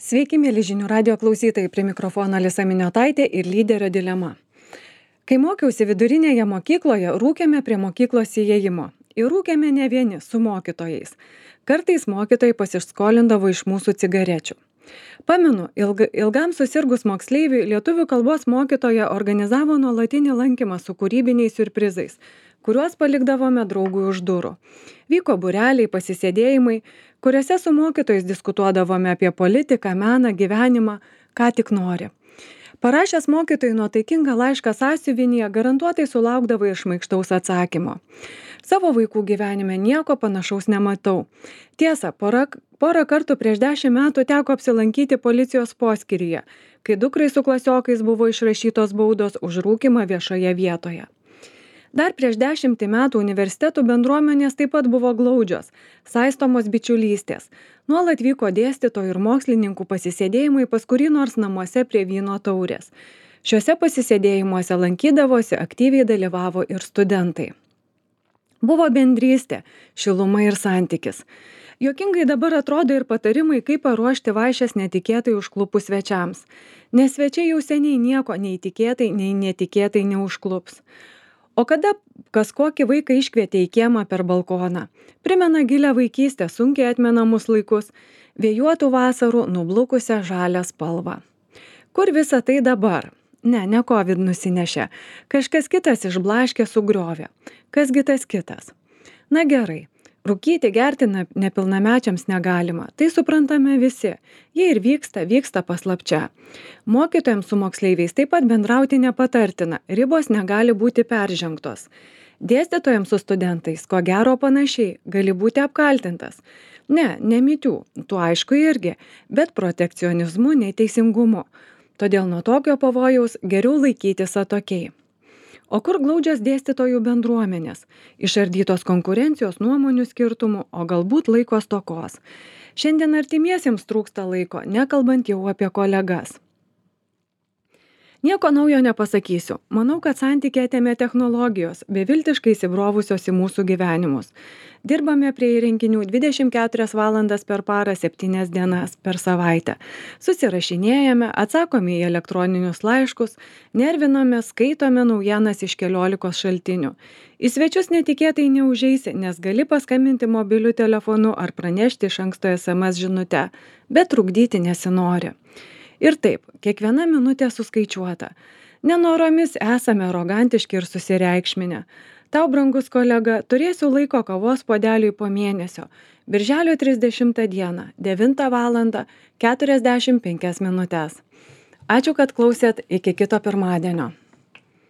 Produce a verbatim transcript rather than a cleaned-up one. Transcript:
Sveiki, mėly žinių radio klausytojai, prie mikrofono Alisa Miniotaitė ir lyderio dilema. Kai mokiausi vidurinėje mokykloje, rūkėme prie mokyklos įėjimo. Ir rūkėme ne vieni, su mokytojais. Kartais mokytojai pasiskolindavo iš mūsų cigarečių. Pamenu, ilga, ilgam susirgus moksleiviui lietuvių kalbos mokytoja organizavo nuolatinį lankymą su kūrybiniais siurprizais, kuriuos palikdavome draugui už durų. Vyko būreliai, pasisėdėjimai, kuriuose su mokytojais diskutuodavome apie politiką, meną, gyvenimą, ką tik nori. Parašęs mokytojui nuotaikingą laišką sąsiuvinyje, garantuotai sulaukdavai ir šmaikštaus atsakymo. Savo vaikų gyvenime nieko panašaus nematau. Tiesa, porą, porą kartų prieš dešimt metų teko apsilankyti policijos poskyryje, kai dukrai su klasiokais buvo išrašytos baudos už rūkymą viešoje vietoje. Dar prieš dešimtį metų universitetų bendruomenės taip pat buvo glaudžios, saistomos bičiulystės. Nuolat vyko dėstytojų ir mokslininkų pasisėdėjimai pas kurį nors namuose prie vyno taurės. Šiuose pasisėdėjimuose lankydavosi, aktyviai dalyvavo ir studentai. Buvo bendrystė, šiluma ir santykis. Juokingai dabar atrodo ir patarimai, kaip paruošti vaišes netikėtai užklupus svečiams. Nes svečiai jau seniai nieko nei tikėtai, nei netikėtai neužklups. O kada kas kokį vaiką iškvietė į kiemą per balkoną, primena gilią vaikystę, sunkiai atmenamus laikus, vėjuotų vasarų, nublukusią žalią spalvą. Kur visa tai dabar? Ne, ne COVID nusinešė. Kažkas kitas išblaškė, sugriovė. Kasgi tas kitas? Na gerai. Rūkyti, gerti nepilnamečiams negalima. Tai suprantame visi. Jie ir vyksta, vyksta paslapčia. Mokytojams su moksleiviais taip pat bendrauti nepatartina. Ribos negali būti peržengtos. Dėstytojams su studentais, ko gero panašiai, gali būti apkaltintas. Ne, ne mitių, tu aišku irgi, bet protekcionizmu, neteisingumu. Todėl nuo tokio pavojaus geriau laikytis atokiai. O kur glaudžios dėstytojų bendruomenės? Išardytos konkurencijos, nuomonių skirtumų, o galbūt laiko stokos. Šiandien artimiesiems trūksta laiko, nekalbant jau apie kolegas. Nieko naujo nepasakysiu. Manau, kad santykį atėmė technologijos, beviltiškai įsibrovusios į mūsų gyvenimus. Dirbame prie įrenginių dvidešimt keturias valandas per parą, septynias dienas per savaitę. Susirašinėjame, atsakome į elektroninius laiškus, nerviname, skaitome naujienas iš keliolikos šaltinių. Į svečius netikėtai neužeisi, nes gali paskambinti mobiliu telefonu ar pranešti iš anksto es em es žinute, bet trukdyti nesinori. Ir taip, kiekviena minutė suskaičiuota. Nenoromis esame arogantiški ir susireikšminę. Tau, brangus kolega, turėsiu laiko kavos puodeliui po mėnesio. Birželio trisdešimtą dieną, devintą valandą, keturiasdešimt penkias minutes. Ačiū, kad klausėt, iki kito pirmadienio.